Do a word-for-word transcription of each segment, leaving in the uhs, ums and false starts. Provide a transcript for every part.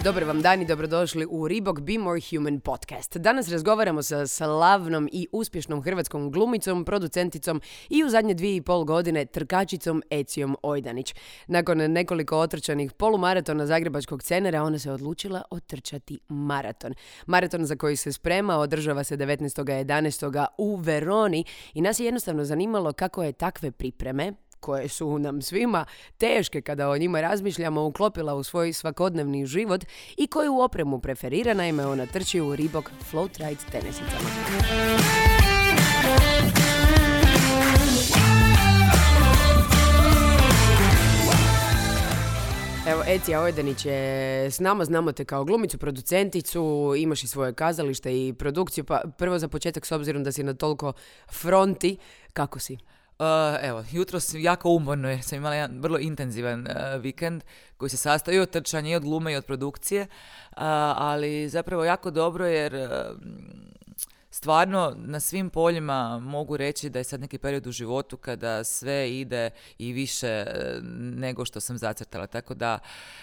Dobar vam dan i dobrodošli u Reebok Be More Human podcast. Danas razgovaramo sa slavnom i uspješnom hrvatskom glumicom, producenticom i u zadnje dvije i pol godine trkačicom Ecijom Ojdanić. Nakon nekoliko otrčanih polumaratona zagrebačkog Cenera, ona se odlučila otrčati maraton. Maraton za koji se sprema održava se devetnaestog jedanaestog u Veroni i nas je jednostavno zanimalo kako je takve pripreme, koje su nam svima teške kada o njima razmišljamo, uklopila u svoj svakodnevni život i koju opremu preferira. Naime, ona trči u Reebok Floatride tenisicama. Evo, Ecija Ojdanić je s nama, znamo te kao glumicu, producenticu, imaš i svoje kazalište i produkciju, pa prvo za početak, s obzirom da si na toliko fronti, kako si? Uh, evo, jutros jako umorno jer sam imala jedan vrlo intenzivan uh, vikend koji se sastoji i od trčanja i od glume i od produkcije, uh, ali zapravo jako dobro jer uh, stvarno na svim poljima mogu reći da je sad neki period u životu kada sve ide i više nego što sam zacrtala, tako da,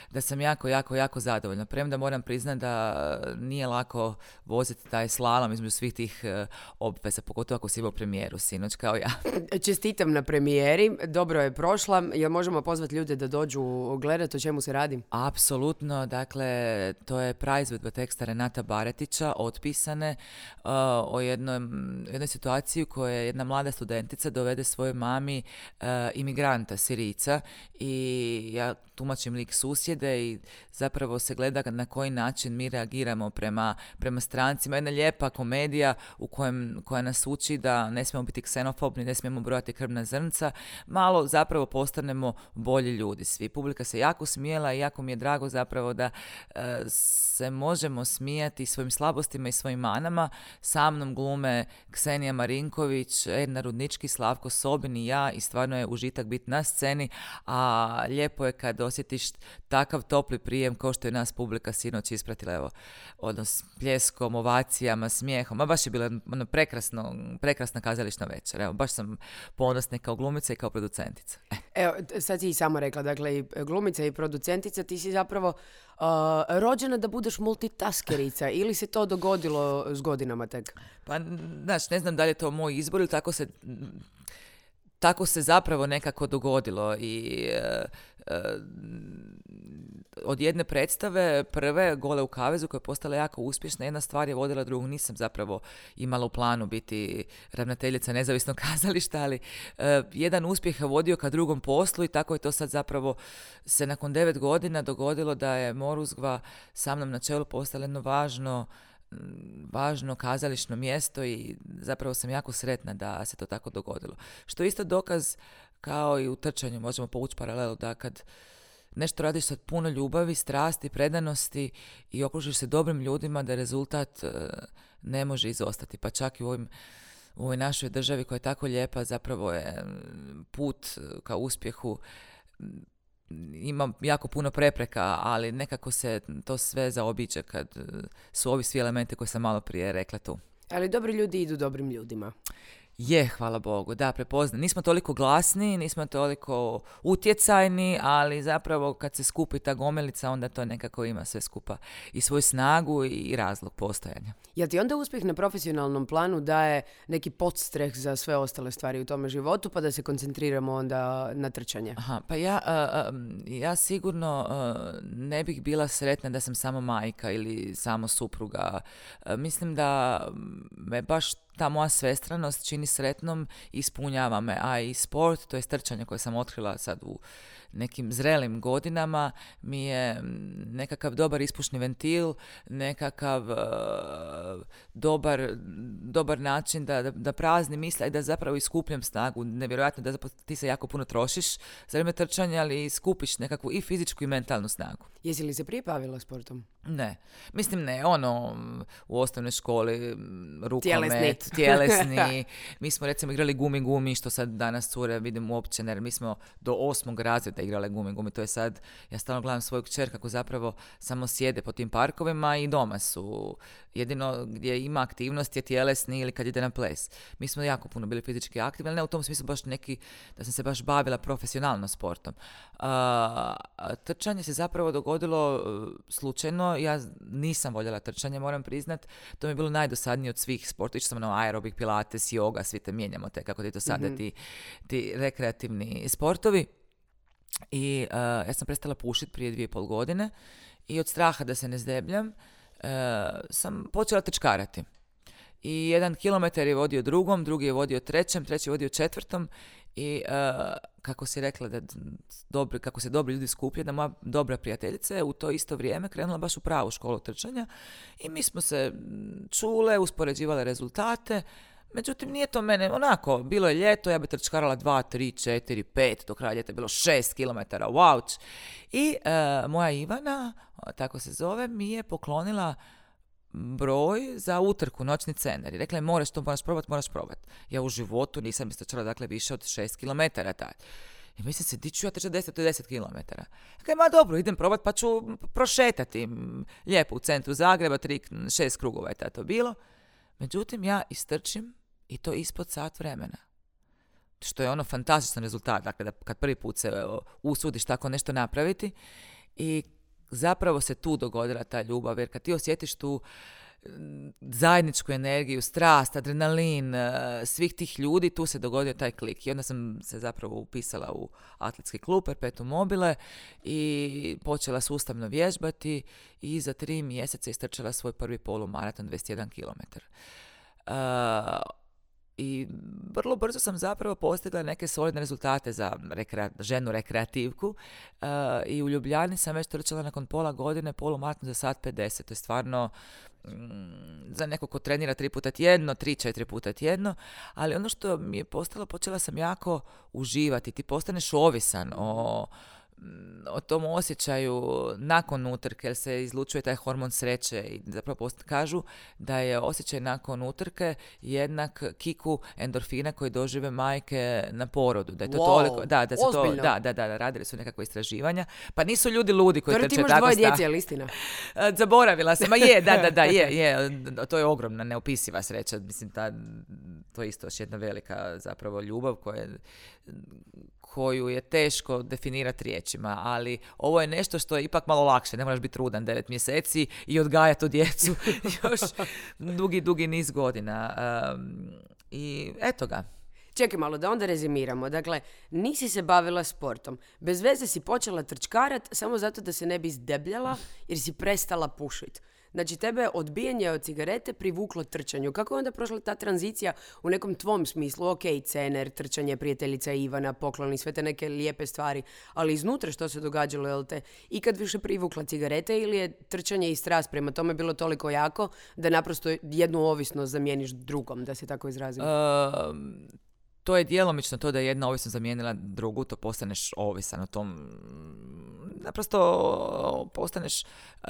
da sam jako, jako, jako zadovoljna. Premda moram priznati da nije lako voziti taj slalom između svih tih obveza, pogotovo ako si imao premijeru sinoć kao ja. Čestitam na premijeri, dobro je prošla. Jel možemo pozvati ljude da dođu gledati o čemu se radi? Apsolutno, dakle, to je praizvedba teksta Renata Baretića, Otpisane, uh, o jednoj, jednoj situaciji u kojoj jedna mlada studentica dovede svojoj mami uh, imigranta, Sirijca, i ja tumačim lik susjede i zapravo se gleda na koji način mi reagiramo prema, prema strancima. Jedna lijepa komedija u kojem, koja nas uči da ne smijemo biti ksenofobni, ne smijemo brojati krvna zrnca, malo zapravo postanemo bolji ljudi svi. Publika se jako smijela i jako mi je drago zapravo da uh, se možemo smijati svojim slabostima i svojim manama. Sa mnom glume Ksenija Marinković, Edna Rudnički, Slavko Sobin i ja, i stvarno je užitak biti na sceni, a lijepo je kad osjetiš takav topli prijem kao što je nas publika sinoć ispratila, evo, odnos pljeskom, ovacijama, smijehom, a baš je bila ono prekrasno, prekrasna kazališna večer, evo, baš sam ponosna kao glumica i kao producentica. Eh. Evo, sad si i sama rekla, dakle, i glumica i producentica, ti si zapravo uh, rođena da budeš multitaskerica ili se to dogodilo s godinama tek? Pa, znaš, ne znam da li je to moj izbor ili tako se... Tako se zapravo nekako dogodilo i uh, uh, od jedne predstave, prve, Gole u kavezu, koja je postala jako uspješna, jedna stvar je vodila drugu. Nisam zapravo imala u planu biti ravnateljica nezavisnog kazališta, ali uh, jedan uspjeh je vodio ka drugom poslu i tako je to sad zapravo se nakon devet godina dogodilo da je Moruzgva sa mnom na čelu postala jedno važno važno kazališno mjesto i zapravo sam jako sretna da se to tako dogodilo. Što je isto dokaz, kao i u trčanju, možemo povući paralelu, da kad nešto radiš sa puno ljubavi, strasti, predanosti i okružiš se dobrim ljudima, da rezultat ne može izostati. Pa čak i u ovim u ovoj našoj državi koja je tako lijepa, zapravo je put ka uspjehu, ima jako puno prepreka, ali nekako se to sve zaobiđe kad su ovi svi elementi koje sam malo prije rekla tu. Ali dobri ljudi idu dobrim ljudima. Je, hvala Bogu, da, prepoznam. Nismo toliko glasni, nismo toliko utjecajni, ali zapravo kad se skupi ta gomelica, onda to nekako ima sve skupa i svoju snagu i razlog postojanja. Jel ti onda uspjeh na profesionalnom planu daje neki podstreh za sve ostale stvari u tome životu, pa da se koncentriramo onda na trčanje? Aha, pa ja, uh, ja sigurno uh, ne bih bila sretna da sam samo majka ili samo supruga. Uh, mislim da me baš ta moja svestranost čini sretnom i ispunjava me, a i sport, to je trčanje koje sam otkrila sad u nekim zrelim godinama, mi je nekakav dobar ispušni ventil, nekakav uh, dobar, dobar način da, da, da praznim misli i da zapravo iskupljam snagu. Nevjerojatno da zapravo ti se jako puno trošiš za vrijeme trčanja, ali skupiš nekakvu i fizičku i mentalnu snagu. Jesi li se prije bavila sportom? Ne. Mislim ne, ono, u osnovnoj školi, rukomet, tjelesni. tjelesni. Mi smo recimo igrali gumi gumi, što sad danas cure vidim uopće, jer mi smo do osmog razreda igrale gumi gumi. To je sad, ja stalno gledam svoju kćer kako zapravo samo sjede po tim parkovima i doma su. Jedino gdje ima aktivnost je tjelesni ili kad ide na ples. Mi smo jako puno bili fizički aktivni, ali ne u tom smislu baš neki, da sam se baš bavila profesionalno sportom. Uh, uh, trčanje se zapravo dogodilo uh, slučajno. Ja nisam voljela trčanje, moram priznat. To mi je bilo najdosadnije od svih sporta. Išla sam na aerobik, pilates, yoga, svi te mijenjamo te, kako ti to sada, mm-hmm. ti, ti rekreativni sportovi. I uh, ja sam prestala pušiti prije dvije i pol godine i od straha da se ne zdebljam uh, sam počela trčkarati. I jedan kilometar je vodio drugom, drugi je vodio trećem, treći je vodio četvrtom i uh, kako si rekla da dobri, kako se dobri ljudi skuplje, da moja dobra prijateljica je u to isto vrijeme krenula baš u pravu školu trčanja i mi smo se čule, uspoređivale rezultate. Međutim, nije to mene, onako, bilo je ljeto, ja bi trčkarala dva, tri, četiri, pet, do kraja ljeta je bilo šest kilometara, wow. I uh, moja Ivana, tako se zove, mi je poklonila broj za utrku, noćni cener. I rekla je, moraš to, moraš probat, moraš probat. Ja u životu nisam istrčala, dakle, više od šest kilometara tad. I mislim se, di ću ja trčati deset do deset kilometara. Dakle, ma dobro, idem probat, pa ću prošetati lijepo u centru Zagreba, tri, šest krugova je to bilo. Međutim, ja istrčim i to ispod sat vremena. Što je ono fantastičan rezultat, dakle, da kad prvi put se usudiš tako nešto napraviti. I zapravo se tu dogodila ta ljubav, jer kad ti osjetiš tu zajedničku energiju, strast, adrenalin, svih tih ljudi, tu se dogodio taj klik. I onda sam se zapravo upisala u atletski klub Perpetuum mobile i počela sustavno vježbati i za tri mjeseca istrčala svoj prvi polumaraton, dvadeset jedan kilometar. Uh, I vrlo brzo sam zapravo postigla neke solidne rezultate za rekre, ženu rekreativku uh, i u Ljubljani sam već trčala nakon pola godine polumaraton za sat pedeset. To je stvarno mm, za neko ko trenira tri puta tjedno, tri, četiri puta tjedno, ali ono što mi je postalo, počela sam jako uživati. Ti postaneš ovisan o o tom osjećaju nakon utrke, jer se izlučuje taj hormon sreće i zapravo post- kažu da je osjećaj nakon utrke jednak kiku endorfina koji dožive majke na porodu. Da je to wow, toliko, da, da, se to, da, da, da, radili su nekakve istraživanja. Pa nisu ljudi ludi koji trče tako. Ti imaš dvoje djece, je li istina? Zaboravila sam, a je, da, da, da, je, je, to je ogromna, neopisiva sreća. Mislim, ta, to je isto još jedna velika zapravo ljubav koja je, koju je teško definirati riječima, ali ovo je nešto što je ipak malo lakše. Ne moraš biti trudan devet mjeseci i odgajati tu djecu još dugi, dugi niz godina. Um, I eto ga. Čekaj malo, da onda rezimiramo. Dakle, nisi se bavila sportom. Bez veze si počela trčkarat samo zato da se ne bi zdebljala jer si prestala pušiti. Znači, tebe je odbijanje od cigarete privuklo trčanju. Kako je onda prošla ta tranzicija u nekom tvom smislu? Ok, cener, trčanje, prijateljica Ivana, pokloni, sve te neke lijepe stvari. Ali iznutra što se događalo, jel te ikad više privukla cigarete ili je trčanje i strast prema tome bilo toliko jako da naprosto jednu ovisnost zamijeniš drugom, da se tako izrazim? Um... To je djelomično to da je jedna ovisnost zamijenila drugu, to postaneš ovisan o tom, naprosto postaneš,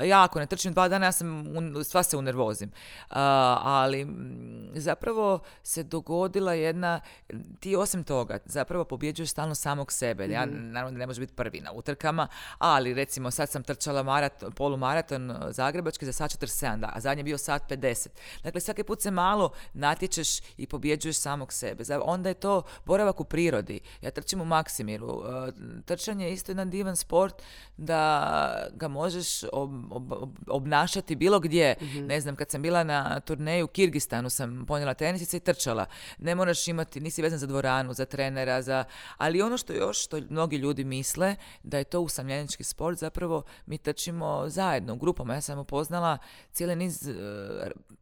ja ako ne trčim dva dana, ja sam, sva se unervozim. Uh, ali zapravo se dogodila jedna, ti osim toga, zapravo pobjeđuješ stalno samog sebe. Mm-hmm. Ja naravno ne može biti prvi na utrkama, ali recimo sad sam trčala maraton, polumaraton zagrebački za sat četrdeset sedam, da, a zadnji je bio sat pedeset. Dakle, svaki put se malo natječeš i pobjeđuješ samog sebe. Onda je to boravak u prirodi. Ja trčim u Maksimiru. Trčanje je isto jedan divan sport da ga možeš ob, ob, obnašati bilo gdje. Mm-hmm. Ne znam, kad sam bila na turneju u Kirgistanu sam ponijela tenisice i trčala. Ne moraš imati, nisi vezan za dvoranu, za trenera, za... ali ono što još, što mnogi ljudi misle da je to usamljenički sport, zapravo mi trčimo zajedno u grupama. Ja sam upoznala cijeli niz uh,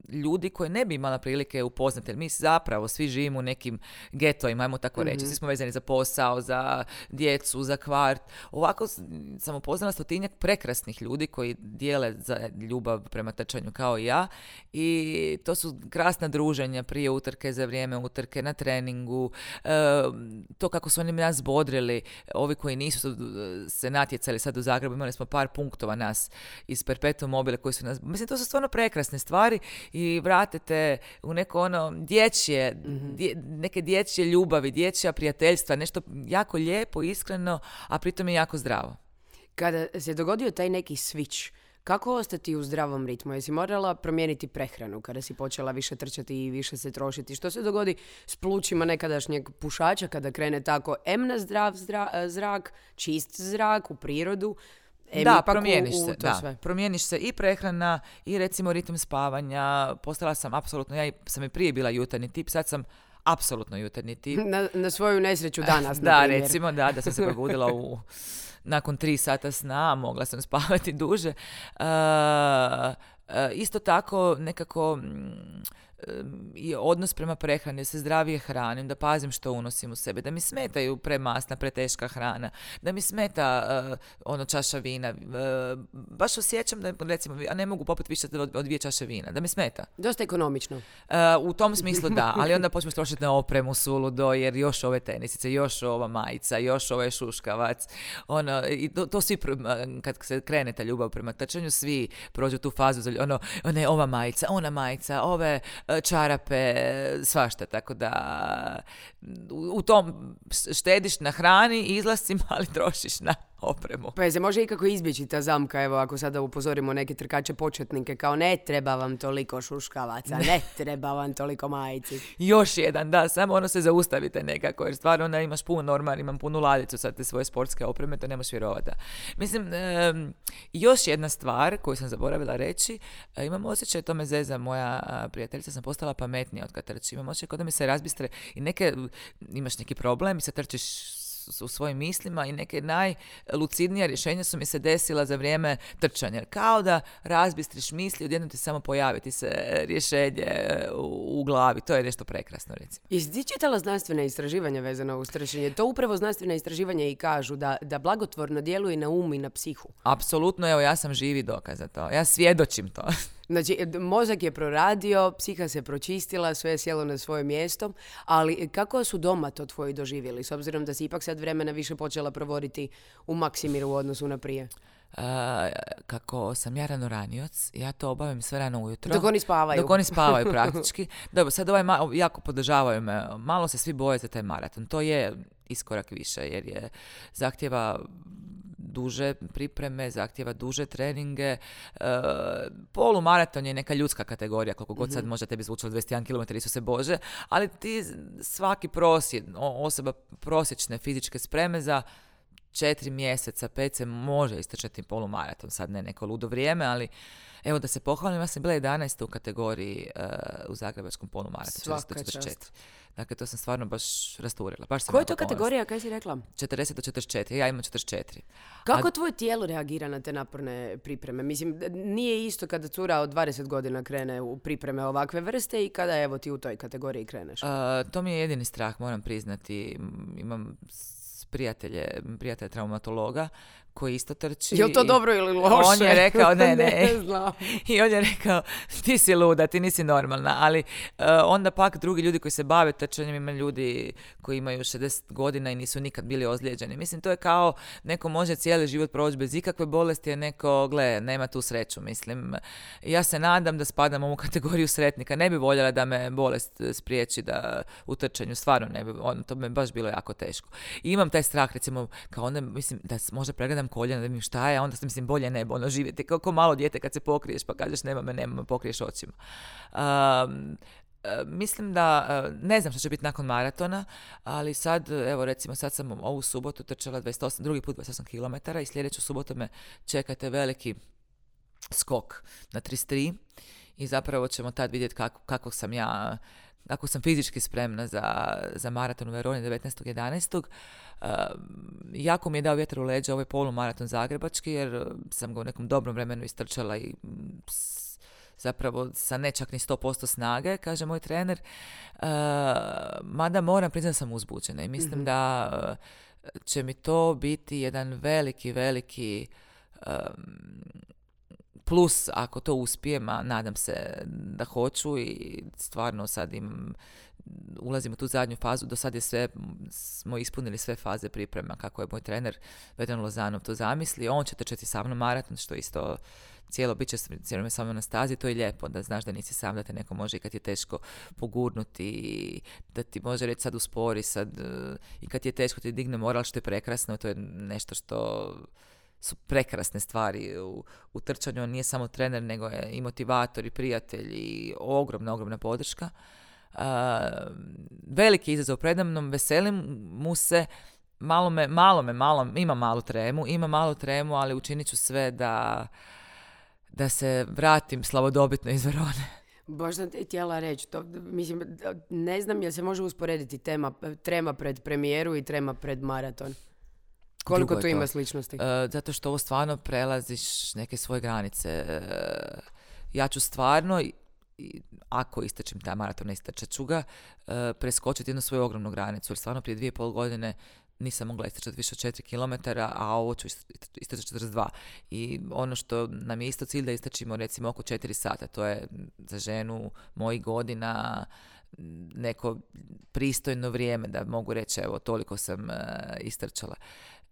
ljudi koje ne bi imala prilike upoznati, jer mi zapravo svi živimo u nekim getovima, ajmo tako reći. Mm-hmm. Svi smo vezani za posao, za djecu, za kvart. Ovako sam upoznala stotinjak prekrasnih ljudi koji dijele za ljubav prema trčanju kao i ja i to su krasna druženja prije utrke, za vrijeme utrke, na treningu. E, to kako su oni nas bodrili, ovi koji nisu se natjecali sad u Zagrebu, imali smo par punktova nas iz Perpetuum mobile koji su nas... Mislim, to su stvarno prekrasne stvari i vratite u neko ono dječje, mm-hmm. dje, neke dječje ljubavi, dječja prijateljstva, nešto jako lijepo, iskreno, a pritom je jako zdravo. Kada se dogodio taj neki switch, Kako ostati u zdravom ritmu? Jesi morala promijeniti prehranu kada si počela više trčati i više se trošiti? Što se dogodi s plućima nekadašnjeg pušača kada krene tako em na zdrav zdra, zrak, čist zrak, u prirodu? Em Da, ipak promijeniš u, u se, to da. sve. Promijeniš se i prehrana i recimo ritam spavanja. Postala sam apsolutno, ja i- sam i prije bila jutarnji tip, sad sam apsolutno jutarnji tip. Na, na svoju nesreću danas, na Da, primjer. recimo, da, da sam se probudila u, nakon tri sata sna, a mogla sam spavati duže. Uh, uh, isto tako nekako mm, i odnos prema prehrani, da se zdravije hranim, da pazim što unosim u sebe, da mi smetaju premasna, preteška hrana, da mi smeta uh, ono čaša vina. Uh, baš osjećam da, recimo, ja ne mogu popiti više od, od dvije čaše vina, da mi smeta. Dosta ekonomično. Uh, u tom smislu da, ali onda počneš trošiti na opremu suludo, jer još ove tenisice, još ova majica, još ovaj šuškavac, ono, i to, to svi, pr- kad se krene ta ljubav prema trčanju, svi prođu tu fazu, za, ono, ne, ova majica, ona majica, ove uh, čarape, svašta, tako da u, u tom štediš na hrani, izlascima, ali trošiš na opremu. Pa je se može ikako izbjeći ta zamka, evo ako sada upozorimo neke trkače početnike, kao ne treba vam toliko šuškavaca, ne treba vam toliko majici. Još jedan, da, samo ono se zaustavite nekako, jer stvarno onda imaš puno norma, imam punu ladicu sad te svoje sportske opreme, to ne možeš vjerovati. Mislim, e, još jedna stvar koju sam zaboravila reći, e, imam osjećaj, to me zeza moja a, prijateljica, sam postala pametnija od kad trčim, imam osjećaj kao da mi se razbistre i neke, imaš neki problem i sad trčiš u svojim mislima i neke najlucidnija rješenja su mi se desila za vrijeme trčanja. Kao da razbistriš misli, odjednom ti samo pojaviti se rješenje u, u glavi. To je nešto prekrasno, recimo. Jesi ti čitala znanstvene istraživanja vezano uz trčanje? To upravo znanstvene istraživanja i kažu da, da blagotvorno djeluje na um i na psihu. Apsolutno, evo, ja sam živi dokaz za to. Ja svjedočim to. Znači, mozak je proradio, psiha se pročistila, sve je sjelo na svoje mjesto, ali kako su doma to tvoji doživjeli, s obzirom da si ipak sad vremena više počela provoditi u Maksimiru u odnosu na prije? Uh, kako sam ja ranoranioc, ja to obavim sve rano ujutro. Dok oni spavaju. Dok oni spavaju praktički. Dobro, sad ovaj ma- jako podržavaju me. Malo se svi boje za taj maraton. To je iskorak više jer je zahtjeva duže pripreme, zahtjeva duže treninge. E, polumaraton je neka ljudska kategorija, koliko god sad može tebi zvučalo dvadeset jedan kilometar, Isuse Bože, ali ti svaki prosjek, osoba prosječne fizičke spreme za četiri mjeseca, pet se može istrčati polumaraton, sad ne neko ludo vrijeme, ali evo da se pohvalim, ja sam bila jedanaesta u kategoriji uh, u zagrebačkom polumaratonu. Svaka čast. Dakle, to sam stvarno baš rasturila. Baš sam Koja je jako to ponosna. kategorija, kaj si rekla? četrdeset do četrdeset četiri, ja imam četrdeset četiri. Kako A- tvoje tijelo reagira na te naporne pripreme? Mislim, nije isto kada cura od dvadeset godina krene u pripreme ovakve vrste i kada evo ti u toj kategoriji kreneš. Uh, to mi je jedini strah, moram priznati. M, Imam s- prijatelje, prijatelja traumatologa koji isto trči. Je li to i dobro ili loše? On je rekao, ne, ne. ne znam. I on je rekao, ti si luda, ti nisi normalna. Ali uh, onda pak drugi ljudi koji se bave trčanjem, ima ljudi koji imaju šezdeset godina i nisu nikad bili ozlijeđeni. Mislim, to je kao neko može cijeli život proći bez ikakve bolesti, a neko, gle, nema tu sreću. Mislim, ja se nadam da spadam u ovu kategoriju sretnika. Ne bi voljela da me bolest spriječi da u trčanju, stvarno ne bi, on, to bi me baš bilo jako teško. I imam taj strah, recimo, kao onda, mislim, da s- možda pregledam koljena, da vidim šta je, a onda sam, mislim, bolje ne bi ono živjeti. Kao, kao malo dijete kad se pokriješ pa kažeš nema me, nema me, pokriješ očima. Um, e, mislim da, e, ne znam što će biti nakon maratona, ali sad, evo recimo, sad sam ovu subotu trčala dvadeset osam, drugi put dvadeset osam kilometara i sljedeću subotu me čekate veliki skok na trideset tri i zapravo ćemo tad vidjeti kako, kako sam ja, kako sam fizički spremna za, za maraton u Veroni devetnaestog jedanaestog Uh, jako mi je dao vjetar u leđa ovaj polumaraton zagrebački jer uh, sam ga u nekom dobrom vremenu istrčala i mm, s- zapravo sa ne čak ni sto posto snage, kaže moj trener. Uh, mada moram priznati da sam uzbuđena i mislim Mhm. da uh, će mi to biti jedan veliki, veliki um, plus ako to uspijem, a nadam se da hoću i stvarno sad imam, ulazim u tu zadnju fazu, do sad je sve, smo ispunili sve faze priprema kako je moj trener Vedran Lozanov to zamislio, on će trčati sa mnom maraton, što isto cijelo bit će cijelo sa mnom na stazi, to je lijepo, da znaš da nisi sam, da te neko može i kad je teško pogurnuti, i da ti može reći sad uspori, sad, eh, i kad je teško ti digne moral, što je prekrasno, to je nešto što su prekrasne stvari u, u trčanju. On nije samo trener, nego je i motivator i prijatelj i ogromna, ogromna podrška. Uh, veliki izazov predamnom, veselim mu se, malo me, malo me, malo, ima malu tremu, ima malu tremu, ali učinit ću sve da, da se vratim slavodobitno iz Verone. Baš sam te htjela reći, to, mislim, ne znam jel se može usporediti tema, trema pred premijeru i trema pred maraton. Koliko tu ima sličnosti? Uh, zato što ovo stvarno prelaziš neke svoje granice. Uh, ja ću stvarno, i, ako istrčim taj maraton, ne istrčat ću ga, uh, preskočiti jednu svoju ogromnu granicu. Jer stvarno prije dvije i pol godine nisam mogla istrčati više od četiri kilometara, a ovo ću istrčati četrdeset dva. I ono što nam je isto cilj da istrčimo recimo oko četiri sata. To je za ženu mojih godina neko pristojno vrijeme da mogu reći evo toliko sam uh, istrčala.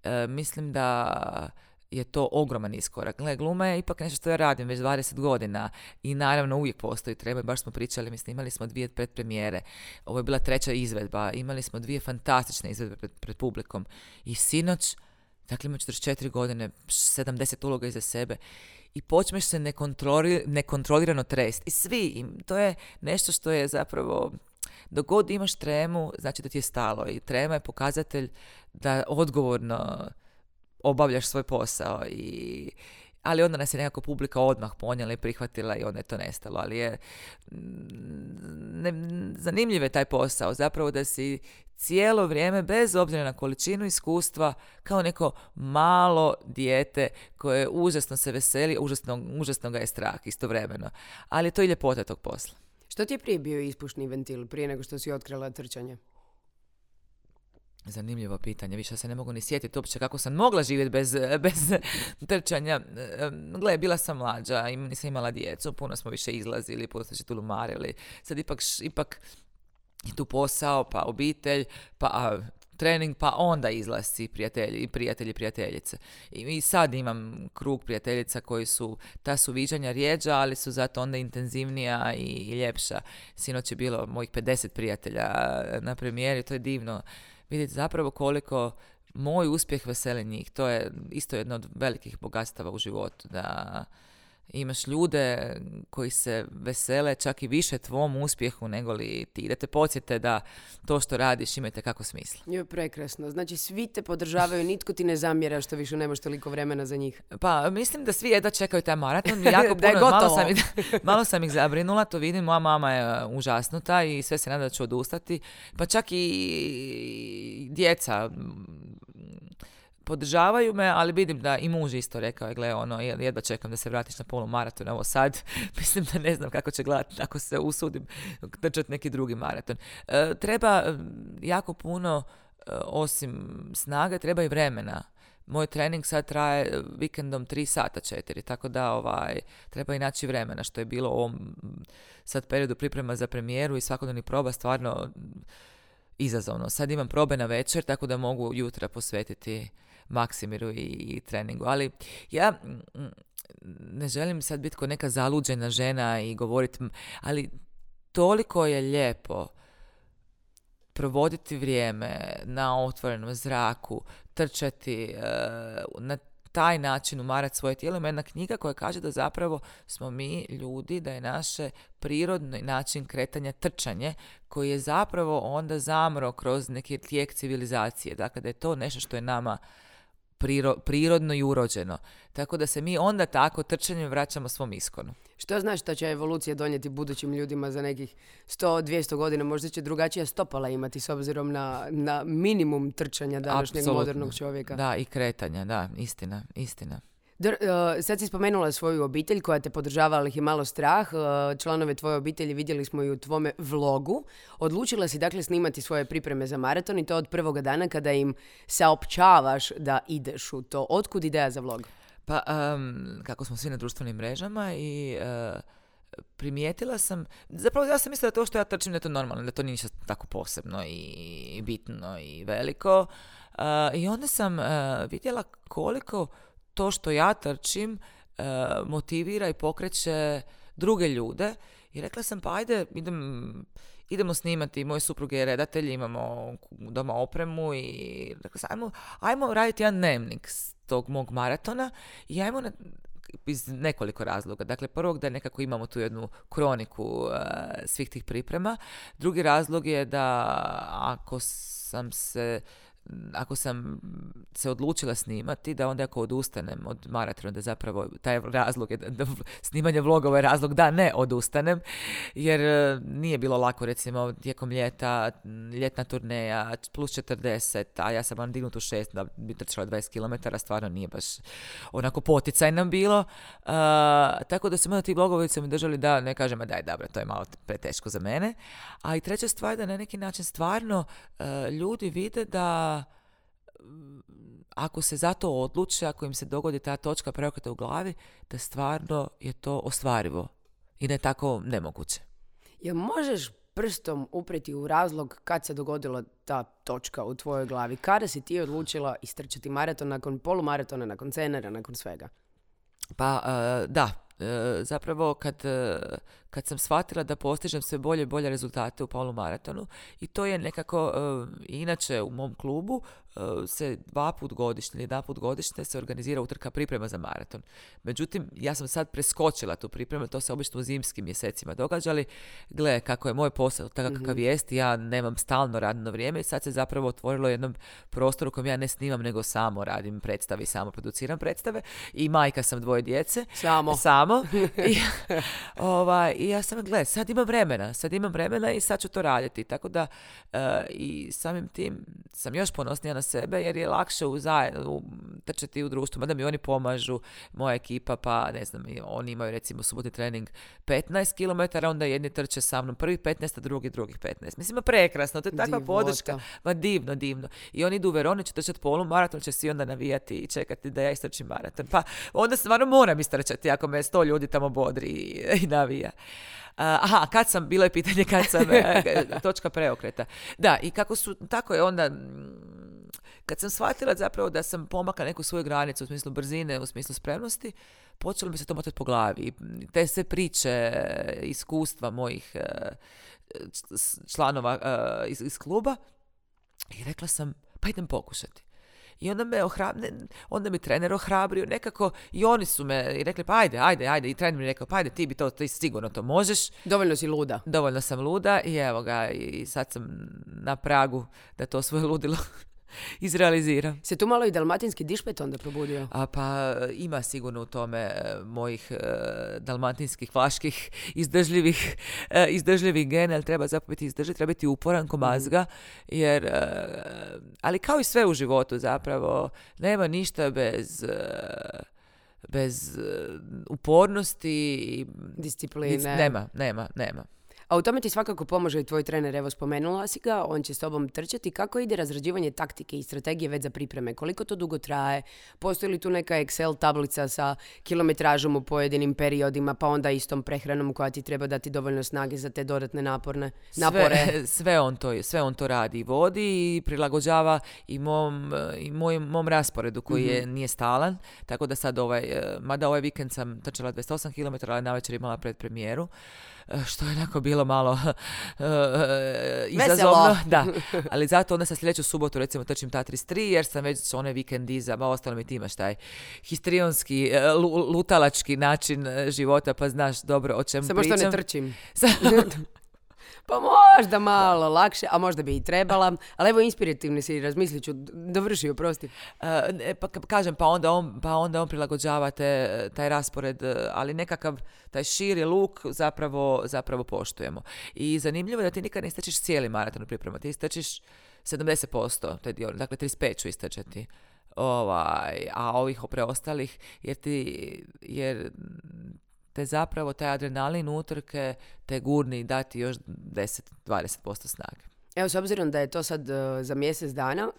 Uh, mislim da je to ogroman iskorak. Gle, gluma je ipak nešto što ja radim već dvadeset godina i naravno uvijek postoji treba, baš smo pričali, mislim, imali smo dvije predpremijere, ovo je bila treća izvedba, imali smo dvije fantastične izvedbe pred, pred publikom i sinoć, dakle ima četrdeset četiri godine, sedamdeset uloga iza sebe i počneš se nekontroli, nekontrolirano trest i svi, i to je nešto što je zapravo, dok god imaš tremu, znači da ti je stalo i trema je pokazatelj da odgovorno obavljaš svoj posao, i, ali onda nas je nekako publika odmah ponijela i prihvatila i onda je to nestalo, ali je ne, zanimljiv je taj posao, zapravo da si cijelo vrijeme, bez obzira na količinu iskustva, kao neko malo dijete koje užasno se veseli, užasno, užasno ga je strah istovremeno, ali je to i ljepota tog posla. Što ti je prije bio ispušni ventil, prije nego što si otkrila trčanje? Zanimljivo pitanje, više se ne mogu ni sjetiti uopće kako sam mogla živjeti bez, bez trčanja. Gle, bila sam mlađa i nisam imala djecu, puno smo više izlazili, puno smo se tu lumarili. Sad ipak, ipak je tu posao, pa obitelj, pa trening, pa onda izlasci prijatelji, prijatelji i prijateljice. I, I sad imam krug prijateljica koji su, ta su viđanja rjeđa, ali su zato onda intenzivnija i, i ljepša. Sinoć je bilo mojih pedeset prijatelja na premijeri, to je divno. Vidite zapravo koliko moj uspjeh veseli njih. To je isto jedno od velikih bogatstava u životu. Da imaš ljude koji se vesele čak i više tvom uspjehu nego li ti. Da te podsjete da to što radiš imate kako smisla. Je prekrasno. Znači svi te podržavaju, nitko ti ne zamjera što više nemaš toliko vremena za njih. Pa mislim da svi jedva čekaju taj maraton. Jako puno, malo, sam ih, malo sam ih zabrinula, to vidim. Moja mama je užasnuta i sve se nada da ću odustati. Pa čak i djeca podržavaju me, ali vidim da i muž isto rekao je, gle, ono, jedva čekam da se vratiš na polumaraton, evo sad, mislim da ne znam kako će gledati ako se usudim trčati neki drugi maraton. E, treba jako puno, e, osim snage, treba i vremena. Moj trening sad traje vikendom tri sata četiri, tako da ovaj, treba i naći vremena, što je bilo u ovom sad periodu priprema za premijeru i svakodnevnih proba stvarno izazovno. Sad imam probe na večer, tako da mogu jutra posvetiti Maksimiru i, i treningu. Ali ja ne želim sad biti kao neka zaluđena žena i govoriti, ali toliko je lijepo provoditi vrijeme na otvorenom zraku, trčati, na taj način umarati svoje tijelo. Ima jedna knjiga koja kaže da zapravo smo mi ljudi, da je naše prirodni način kretanja trčanje, koji je zapravo onda zamro kroz neki tijek civilizacije. Dakle, da je to nešto što je nama priro, prirodno i urođeno. Tako da se mi onda tako trčanjem vraćamo svom iskonu. Što znaš što će evolucija donijeti budućim ljudima za nekih sto do dvjesto godina? Možda će drugačija stopala imati s obzirom na, na minimum trčanja današnjeg Absolutno. Modernog čovjeka. Da, i kretanja, da, istina, istina. Dr, uh, sad si spomenula svoju obitelj koja te podržava, ali ih je malo strah. Uh, članove tvoje obitelji vidjeli smo i u tvome vlogu. Odlučila si dakle snimati svoje pripreme za maraton i to od prvoga dana kada im saopćavaš da ideš u to. Otkud ideja za vlog? Pa, um, kako smo svi na društvenim mrežama i uh, primijetila sam, zapravo ja sam mislila da to što ja trčim da je to normalno, da to nije ništa tako posebno i bitno i veliko. Uh, I onda sam uh, vidjela koliko to što ja trčim uh, motivira i pokreće druge ljude i rekla sam pa ajde idem, idemo snimati, moj suprug je redatelj, imamo doma opremu i rekla sam, ajmo, ajmo raditi jedan dnevnik s tog mog maratona i ajmo na, iz nekoliko razloga. Dakle, prvog da nekako imamo tu jednu kroniku uh, svih tih priprema. Drugi razlog je da ako sam se ako sam se odlučila snimati, da onda ako odustanem od maratona, da zapravo taj razlog je, da snimanje vlogova je razlog da ne odustanem, jer nije bilo lako, recimo, tijekom ljeta, ljetna turneja, plus četrdeset, a ja sam vam dignutu šest, da bi trčala dvadeset kilometara, stvarno nije baš onako poticaj nam bilo. Uh, tako da su onda ti vlogovi se mi držali da, ne kažem, a daj, dobro, to je malo preteško za mene. A i treća stvar, da na neki način stvarno uh, ljudi vide da ako se za to odluče, ako im se dogodi ta točka preokreta u glavi, da stvarno je to ostvarivo i da je tako nemoguće. Jel možeš prstom upreti u razlog kad se dogodila ta točka u tvojoj glavi? Kada si ti odlučila istrčati maraton nakon polumaratona, nakon cenera, nakon svega? Pa uh, da, uh, zapravo kad, uh, kad sam shvatila da postižem sve bolje i bolje rezultate u polumaratonu, i to je nekako, uh, inače u mom klubu uh, se dva put godišnje ili jedan put godišnje se organizira utrka priprema za maraton. Međutim, ja sam sad preskočila tu pripremu, to se obično u zimskim mjesecima događali. Gle, kako je moj posao, takav kakav Mhm. jest, ja nemam stalno radno vrijeme i sad se zapravo otvorilo jednom prostoru u kojem ja ne snimam, nego samo radim predstave i samo produciram predstave i majka sam dvoje djece. Samo. Samo. I, ovaj, I ja sam, gle, sad imam vremena, sad imam vremena i sad ću to raditi. Tako da e, i samim tim sam još ponosnija na sebe, jer je lakše u zaj- u, trčati u društvu, mada mi oni pomažu, moja ekipa, pa ne znam, i oni imaju recimo subotni trening petnaest kilometara, onda jedni trče sa mnom prvih petnaest, a drugi drugih petnaest. Mislim, ma prekrasno, to je takva Divota. podrška. Ma divno, divno. I oni idu u Veroni, će trčati polumaraton, će svi onda navijati i čekati da ja istrčim maraton. Pa onda stvarno moram istrčati ako me sto ljudi tamo bodri i, i navija. Uh, aha, kad sam, bilo je pitanje kad sam, uh, točka preokreta. Da, i kako su, tako je onda, mm, kad sam shvatila zapravo da sam pomakla neku svoju granicu u smislu brzine, u smislu spremnosti, počelo mi se to motati po glavi. I te sve priče, iskustva mojih uh, članova uh, iz, iz kluba, i rekla sam, pa idem pokušati. I onda me ohrabrio, onda mi trener ohrabrio, nekako i oni su me i rekli, pa ajde, ajde, ajde. I trener mi rekao, pa ajde, ti bi to, ti sigurno to možeš. Dovoljno si luda. Dovoljno sam luda i evo ga, i sad sam na pragu da to svoje ludilo izrealiziram. Se tu malo i dalmatinski dišpet onda probudio? A pa ima sigurno u tome e, mojih e, dalmatinskih, vlaških, izdržljivih, e, izdržljivih gena, ali treba zapravo biti izdržljiv, treba biti uporan ko mazga, jer, e, ali kao i sve u životu zapravo, nema ništa bez... E, bez e, upornosti i Discipline. nema, nema, nema. A u tome ti svakako pomaže i tvoj trener, evo spomenula si ga, on će s tobom trčati. Kako ide razrađivanje taktike i strategije već za pripreme? Koliko to dugo traje? Postoji li tu neka Excel tablica sa kilometražom u pojedinim periodima, pa onda istom prehranom koja ti treba dati dovoljno snage za te dodatne naporne napore? Sve, sve, on to, sve on to radi i vodi i prilagođava i mom, i moj, mom rasporedu koji je, nije stalan. Tako da sad ovaj, mada ovaj vikend sam trčala dvadeset osam kilometara, ali navečer imala predpremijeru, što je onako bilo malo uh, izazovno. Da. Ali zato onda sa sljedeću subotu recimo trčim ta trideset tri, jer sam već onaj vikend iza, ba ostalo mi ti imaš taj histrionski, uh, lutalački način života, pa znaš dobro o čemu Samo pričam. što ne trčim. Pa možda malo lakše, a možda bi i trebala, ali evo inspirativni si, razmislit ću, dovrši, oprosti. Uh, ne, pa ka- kažem, pa onda on, pa onda on prilagođava te, taj raspored, ali nekakav taj širi luk zapravo, zapravo poštujemo. I zanimljivo je da ti nikad ne istrčiš cijeli maraton u pripremu, ti istrčiš sedamdeset posto taj dio, dakle trideset pet ću istrčati. Ovaj, a ovih preostalih, jer ti, jer te zapravo taj adrenalin utrke te gurni dati još deset do dvadeset posto snage. Evo, s obzirom da je to sad uh, za mjesec dana,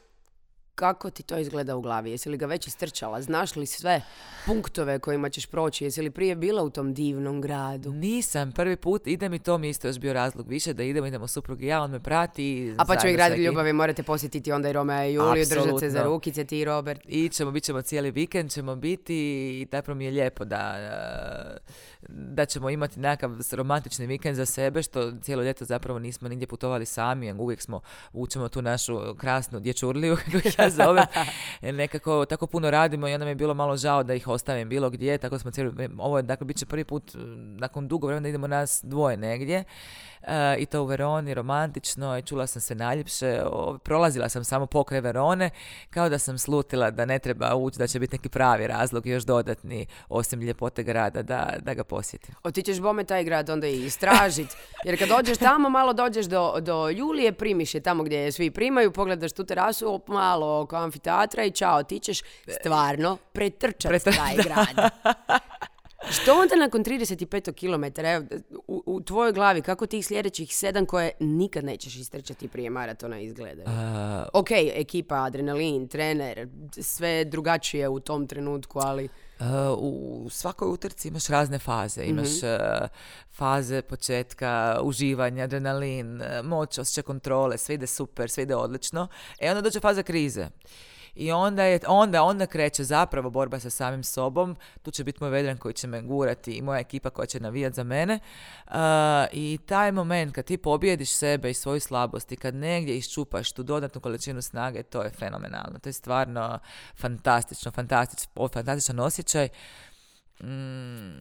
Kako ti to izgleda u glavi? Jesi li ga već istrčala? Znaš li sve punktove kojima ćeš proći? Jesi li prije bila u tom divnom gradu? Nisam. Prvi put idem i to mi isto još bio razlog više da idemo, idemo suprug i ja, on me prati. A pa ćemo i grad ljubavi, morate posjetiti onda i Romea i Juliju, držati se za rukice, ti i Robert. I ćemo, bit ćemo cijeli vikend, ćemo biti i tako mi je lijepo da, da ćemo imati nekakav romantični vikend za sebe, što cijelo ljeto zapravo nismo nigdje putovali sami, uvijek smo, učemo tu našu krasnu dječurliju, kako ja zovem, nekako tako puno radimo i onda mi je bilo malo žao da ih ostavim bilo gdje, tako smo cijeli, ovo je, dakle, bit će prvi put nakon dugo vremena da idemo nas dvoje negdje. Uh, i to u Veroni, romantično, i čula sam se najljepše, o, prolazila sam samo pokraj Verone, kao da sam slutila da ne treba ući, da će biti neki pravi razlog, još dodatni, osim ljepote grada, da, da ga posjetim. Otićeš bome taj grad onda i istražiti, jer kad dođeš tamo, malo dođeš do, do Julije, primiš je tamo gdje je svi primaju, pogledaš tu terasu, malo oko amfiteatra i čao, ti ćeš stvarno pretrčati Pretrč, taj grad. Što onda nakon trideset pet kilometara, evo, u, u tvojoj glavi, kako tih sljedećih sedam koje nikad nećeš istrčati prije maratona izgledaju? Uh, ok, ekipa, adrenalin, trener, sve drugačije u tom trenutku, ali... Uh, u svakoj utrci imaš razne faze. Imaš mm-hmm. uh, faze početka, uživanja, adrenalin, uh, moć, osjećaj kontrole, sve ide super, sve ide odlično. E onda dođe faza krize. I onda, je, onda, onda kreće zapravo borba sa samim sobom. Tu će biti moj vedran koji će me gurati i moja ekipa koja će navijati za mene. Uh, I taj moment kad ti pobjediš sebe i svoju slabost i kad negdje iščupaš tu dodatnu količinu snage, to je fenomenalno. To je stvarno fantastično, fantastič, fantastičan osjećaj. Mm,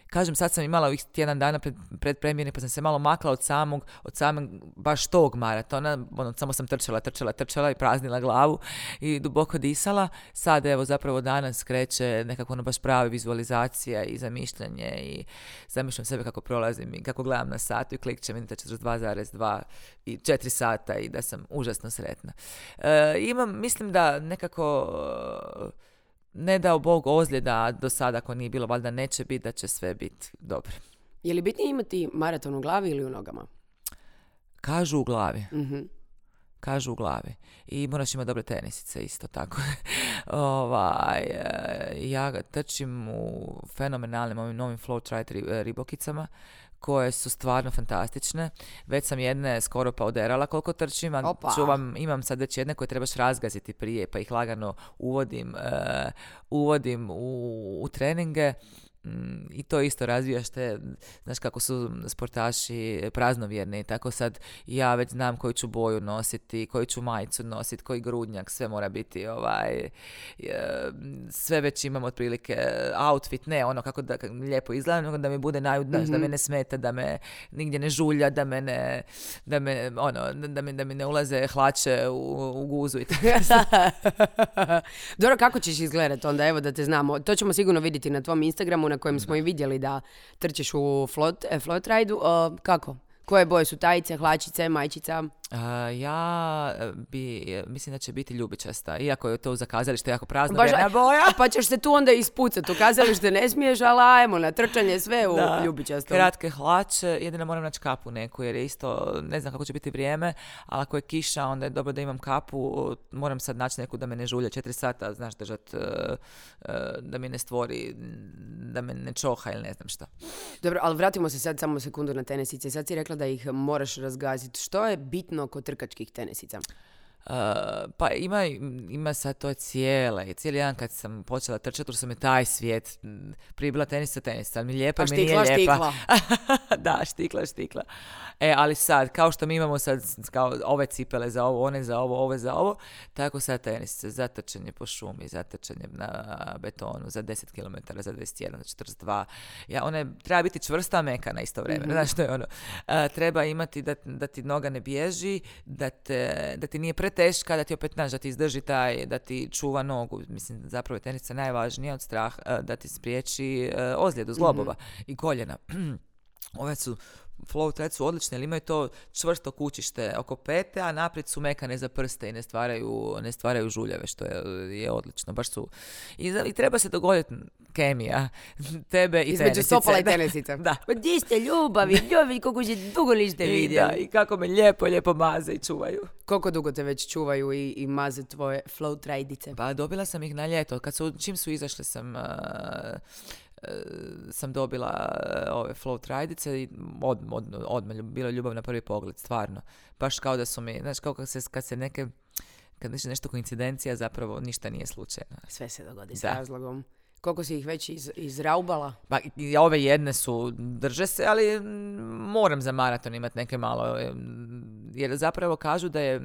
kažem, sad sam imala ovih tjedan dana pred, pred premijerni, pa sam se malo makla od samog, od samog baš tog maratona, ono, samo sam trčala, trčala, trčala i praznila glavu i duboko disala. Sad, evo, zapravo danas kreće nekako ono baš prava vizualizacija i zamišljanje i zamišljam sebe kako prolazim i kako gledam na satu i klikćem, vidite četrdeset dva zarez dva i četiri sata i da sam užasno sretna. E, imam, mislim da nekako... Ne dao Bog ozljeda do sada, ako nije bilo, valjda neće biti, da će sve biti dobro. Je li bitnije imati maraton u glavi ili u nogama? Kažu u glavi. Mm-hmm. Kažu u glavi. I moraš imati dobre tenisice, isto tako. ovaj, ja trčim u fenomenalnim ovim novim Flow ribokicama, koje su stvarno fantastične. Već sam jedne skoro pa oderala koliko trčim, a čuvam, imam sad već jedne koje trebaš razgaziti prije, pa ih lagano uvodim, uh, uvodim u, u treninge. I to isto razvijaš te, znaš kako su sportaši praznovjerni, tako sad ja već znam koju ću boju nositi, koju ću majicu nositi, koji grudnjak, sve mora biti ovaj, sve već imam otprilike outfit, ne ono kako da lijepo izgledam, nego da mi bude najudnaš, mm-hmm. da me ne smeta, da me nigdje ne žulja, da me ne, da me, ono, da mi, da mi ne ulaze hlače u, u guzu i tako. Dobro, kako ćeš izgledati onda, evo da te znamo, to ćemo sigurno vidjeti na tvom Instagramu, na kojem smo i vidjeli da trčeš u float, float ride-u. Uh, kako? Koje boje su tajice, hlačice, majčica? Uh, ja bi, mislim da će biti ljubičasta, iako je to za kazalište jako prazno Baš, vjerna boja. Pa ćeš se tu onda ispucati, u kazalište ne smiješ, ali ajmo na trčanje sve u da, ljubičastom. Kratke hlače, jedino moram naći kapu neku, jer je isto, ne znam kako će biti vrijeme, ali ako je kiša, onda je dobro da imam kapu, moram sad naći neku da me ne žulja četiri sata, znaš, držat, uh, uh, da mi ne stvori, da me ne čoha ili ne znam šta. Dobro, ali vratimo se sad samo sekundu na tenisice. Sad si rekla da ih moraš razgaziti. Što je bitno kod trkačkih tenisica? Uh, pa ima, ima sad to cijele, cijeli dan kad sam počela trčati, jer sam je taj svijet, prije bila tenisa, tenisa, ali mi lijepa, pa mi nije lijepa. Štikla, Da, štikla, štikla. E, ali sad, kao što mi imamo sad kao ove cipele za ovo, one za ovo, ove za ovo, tako sad tenisice za trčanje po šumi, za trčanje na betonu, za deset kilometara, za dvadeset jedan, za četrdeset dva. Ja, one treba biti čvrsta, meka na isto vrijeme. Mm-hmm. Znaš što je ono? Uh, treba imati da, da ti noga ne bježi, da, te, da ti nije preteška, da ti opet naš, da ti izdrži taj, da ti čuva nogu. Mislim, zapravo je tenisca najvažnija od straha, da ti spriječi uh, ozljedu zglobova mm-hmm. i koljena. ove su flow trad su odlične, ali imaju to čvrsto kućište oko pete, a naprijed su mekane za prste i ne stvaraju, ne stvaraju žuljeve, što je, je odlično. Baš su, i, i treba se dogoditi kemija tebe i između tenisice. stopala i tenisica. Da. Pa di ste ljubavi, ljubavi, koliko se dugo niste I, vidjeli. da, I kako me lijepo, lijepo maze i čuvaju. Koliko dugo te već čuvaju i, i maze tvoje flow trajdice? Pa dobila sam ih na ljeto. Kad su, čim su izašle sam... Uh, sam dobila ove flow trajdice i od, od, odmah bila ljubav na prvi pogled, stvarno. Baš kao da su mi, znaš, kao kad se, kad se neke, kad nešto, nešto koincidencija, zapravo ništa nije slučajno. Sve se dogodi s Da. razlogom. Koliko si ih već iz, izraubala? Pa i ove jedne su, drže se, ali moram za maraton imati neke malo, jer zapravo kažu da je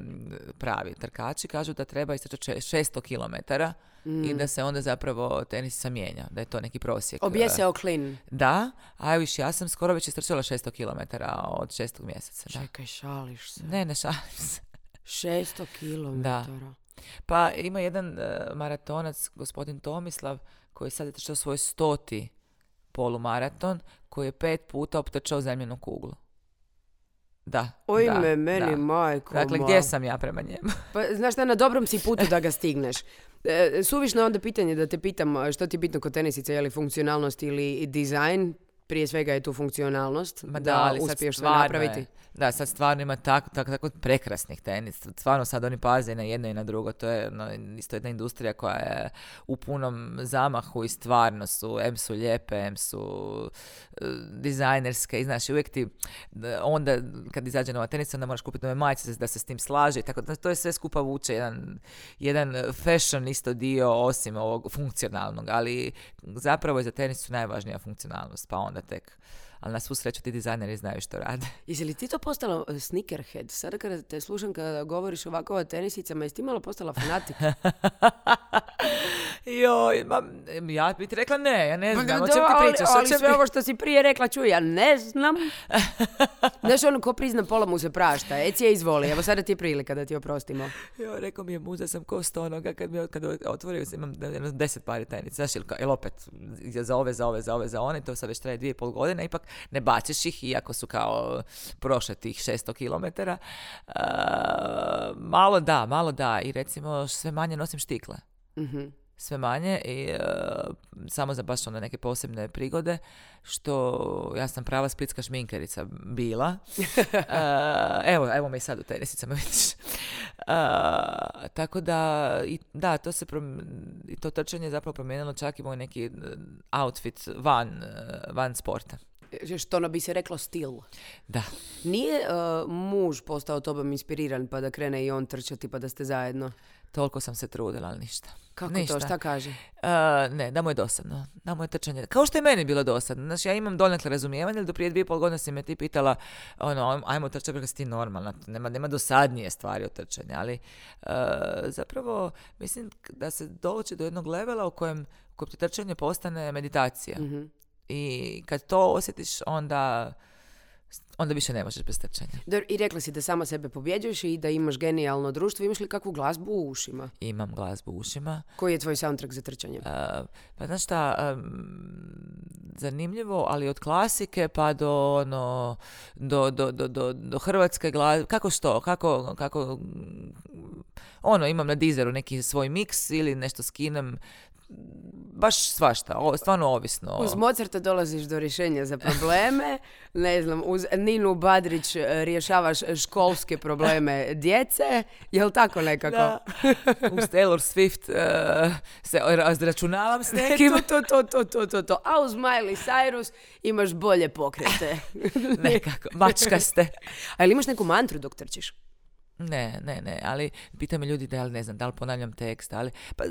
pravi trkači, kažu da treba istrčati šesto kilometara mm. i da se onda zapravo tenisica mijenja, da je to neki prosjek. Objeseo klin. Da, a viš, ja sam skoro već istrčala šesto kilometara od šestog mjeseca. Da. Čekaj, šališ se. Ne, ne šalim se. šesto kilometara. Da. Pa ima jedan uh, maratonac, gospodin Tomislav, koji sad je trčao svoj stoti polumaraton, koji je pet puta optrčao zemljenu kuglu. Da. Oj da, me, meni da. majko. Dakle, ma. gdje sam ja prema njemu? Pa, znaš šta, na dobrom si putu da ga stigneš. E, suvišno je onda pitanje da te pitam što ti je bitno kod tenisice, je li funkcionalnost ili dizajn. Prije svega je tu funkcionalnost, Ma da, da ali uspiješ sve stvarno napraviti. Je, da, sad stvarno ima tako, tako, tako prekrasnih tenis. Stvarno sad oni paze i na jedno i na drugo. To je no, isto jedna industrija koja je u punom zamahu i stvarno su, em su lijepe, em su uh, dizajnerske. I znaš, uvijek ti onda kad izađe nova tenica, onda moraš kupiti nove majice da se s tim slaže. I tako da to je sve skupa vuče jedan, jedan fashion isto dio osim ovog funkcionalnog. Ali zapravo je za tenisu najvažnija funkcionalnost. Pa onda tek. Ali na svu sreću ti dizajneri znaju što rade. Jesi li ti to postala uh, sneakerhead? Sada kada te slušam kada govoriš ovako o tenisicama, jesi ti malo postala fanatik? Joj, ma, ja bih ti rekla ne, ja ne znam, o čem Da, ti ali, pričaš. ali o čem sve ti- ovo što si prije rekla, čuj, ja ne znam. Znaš, ono, ko prizna pola mu se prašta. Ecije, izvoli, evo sada ti je prilika da ti oprostimo. Jo, rekao mi je muza sam ko stonoga kad mi kad otvorio imam jedno deset pari tenica. Znaš, ili, ili opet za ove, za ove, za ove, za one, to sad već traje dvije i pol godine, ipak ne baciš ih, iako su kao prošle tih šesto kilometara. Uh, malo da, malo da. I recimo sve manje nosim štikle. Mhm. Sve manje i uh, samo za baš ono neke posebne prigode, što ja sam prava splitska šminkerica bila. Uh, evo, evo me i sad u tenisicama, vidiš. Uh, tako da, i, da, to se prom- i to trčanje je zapravo promijenilo čak i moj neki outfit van, uh, van sporta. Što ono bi se reklo stil. Da. Nije uh, muž postao tobom inspiriran pa da krene i on trčati pa da ste zajedno? Toliko sam se trudila, ali ništa. Kako Ništa. to? Šta kaže? Uh, ne, da mu je dosadno. Da mu je trčanje. Kao što je meni bilo dosadno. Znači, ja imam donekle razumijevanje, ali do prije dvije i pol godine si me ti pitala, ono, ajmo trčati, rekla si ti normalna. Nema, nema dosadnije stvari od trčanja, ali uh, zapravo mislim da se doći do jednog levela u kojem, u kojem ti trčanje postane meditacija. Mhm. I kad to osjetiš, onda onda više ne možeš bez trčanja. Dobro, i rekla si da sama sebe pobjeđuješ i da imaš genijalno društvo. Imaš li kakvu glazbu u ušima? Imam glazbu u ušima. Koji je tvoj soundtrack za trčanje? Uh, pa znaš šta, um, zanimljivo, ali od klasike pa do ono, do, do, do, do, do hrvatske glazbe, kako što, kako, kako, ono, imam na Deezeru neki svoj miks ili nešto skinem, baš svašta, o, stvarno ovisno. Uz Mozarta dolaziš do rješenja za probleme, ne znam, uz Ninu Badrić e, rješavaš školske probleme djece, je li tako nekako? Da. Uz Taylor Swift uh, se razračunavam s nekim. to, to, to, to, to, to. A uz Miley Cyrus imaš bolje pokrete. Nekako, mačkaste. A ili imaš neku mantru dok trčiš? Ne, ne, ne, ali pitaju me ljudi da li ne znam, da li ponavljam tekst, ali pa,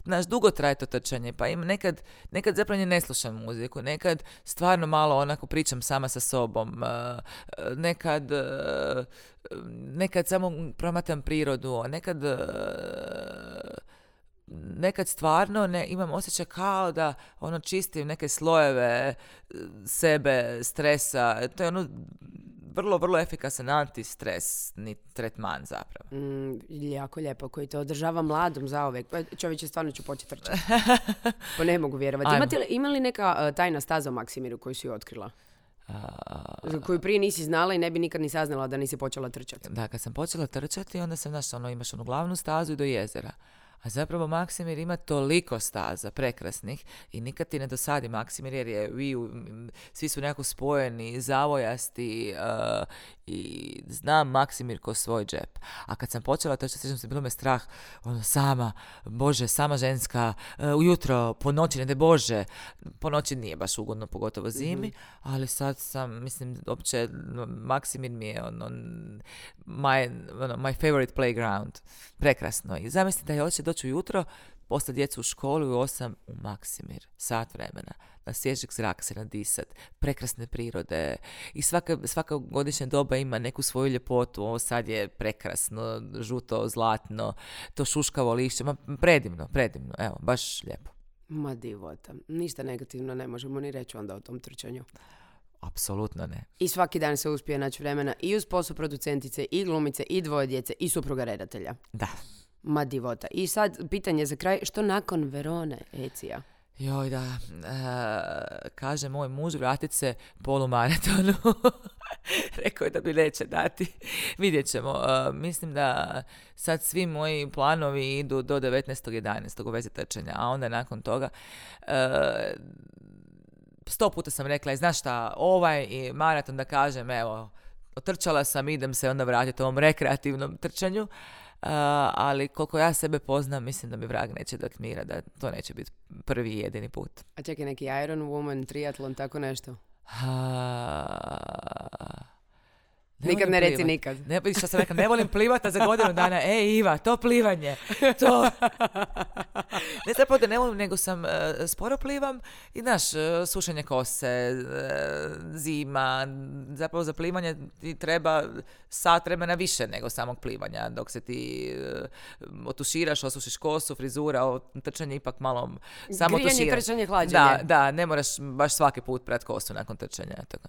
znaš, dugo traje to trčanje, pa im nekad, nekad zapravo ne slušam muziku, nekad stvarno malo onako pričam sama sa sobom, uh, nekad, uh, nekad samo promatram prirodu, nekad uh, nekad stvarno ne, imam osjećaj kao da ono čistim neke slojeve sebe, stresa, to je ono vrlo, vrlo efikasan antistresni tretman zapravo. Mm, jako lijepo, koji te održava mladom zauvek. Pa, čovječe, stvarno ću početi trčati. Pa ne mogu vjerovati. Ajmo. Imate li, ima li neka uh, tajna staza u Maksimiru koju si otkrila? Za koju prije nisi znala i ne bi nikad ni saznala da nisi počela trčati. Da, kad sam počela trčati, onda sam, znaš, ono, imaš onu glavnu stazu i do jezera. A zapravo Maksimir ima toliko staza prekrasnih i nikad ti ne dosadi Maksimir jer je, vi, svi su nekako spojeni, zavojasti uh, i znam Maksimir ko svoj džep. A kad sam počela trčati, sjećam se, bilo me strah, ono, sama, Bože, sama ženska, uh, ujutro, po noći, ne de Bože, po noći nije baš ugodno, pogotovo zimi, mm-hmm. ali sad sam, mislim, opće, Maksimir mi je ono, my, ono, my favorite playground. Prekrasno. I zamisli da je hoće doći ujutro, poslati djecu u školu i u osam u Maksimir, sat vremena, na svježeg zraka se nadisat, prekrasne prirode i svaka, svaka godišnja doba ima neku svoju ljepotu. Ovo sad je prekrasno, žuto, zlatno, to šuškavo lišće, ma predivno, predivno, evo, baš lijepo. Ma divota, ništa negativno ne možemo ni reći onda o tom trčanju. Apsolutno ne. I svaki dan se uspije naći vremena i uz posao producentice, i glumice, i dvoje djece, i supruga redatelja. Da. Ma divota. I sad pitanje za kraj, što nakon Verone, Ecija? Joj, da, e, kaže moj muž, vratit se polumaratonu. Rekao je da bi neće dati. Vidjet ćemo. E, mislim da sad svi moji planovi idu do devetnaestog jedanaestog u vezi trčanja, a onda nakon toga e, sto puta sam rekla, znaš šta, ovaj i maraton da kažem, evo, otrčala sam, idem se onda vratiti ovom rekreativnom trčanju. Uh, ali koliko ja sebe poznam, mislim da mi vrag neće dati mira, da to neće biti prvi i jedini put. A čekaj, neki Iron Woman, triatlon, tako nešto? Uh, ne nikad ne reci plivat. Nikad. Ne, što sam rekla, ne volim plivati za godinu dana. Ej, Iva, to plivanje. To. Ne zapravo da ne volim, nego sam uh, sporo plivam i, znaš, uh, sušenje kose, uh, zima, zapravo za plivanje ti treba sat vremena više nego samog plivanja, dok se ti uh, otuširaš, osušiš kosu, frizura, o, trčanje ipak malo samo grijanje, tuširaš. Trčanje, hlađenje. Da, da, ne moraš baš svaki put prat kosu nakon trčanja. Tako.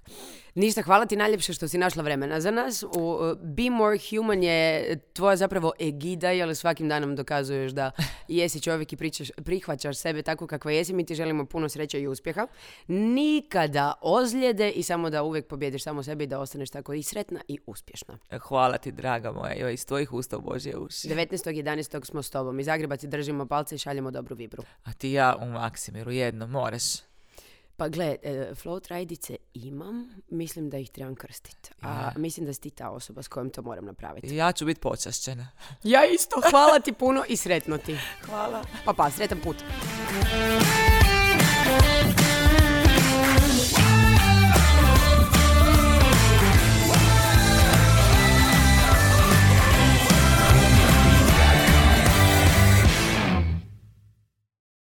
Ništa, hvala ti najljepše što si našla vremena za nas. U uh, Be More Human je tvoja zapravo egida, jer svakim danom dokazuješ da jesi čovjek i pričaš, prihvaćaš sebe tako kakva jesi. Mi ti želimo puno sreće i uspjeha. Nikada ozljede i samo da uvijek pobjediš samo sebe i da ostaneš tako i sretna i uspješna. Hvala ti, draga moja. Joj, iz tvojih usta u Božje uši. devetnaestog jedanaestog smo s tobom. Iz Zagreba ti držimo palce i šaljemo dobru vibru. A ti ja u Maksimiru jedno, moraš. Pa gle, e, float rajdice imam, mislim da ih trebam krstiti. A ja. Mislim da si ti ta osoba s kojom to moram napraviti. Ja ću biti počašćena. Ja isto, hvala ti puno i sretno ti. Hvala. Pa pa, sretan put.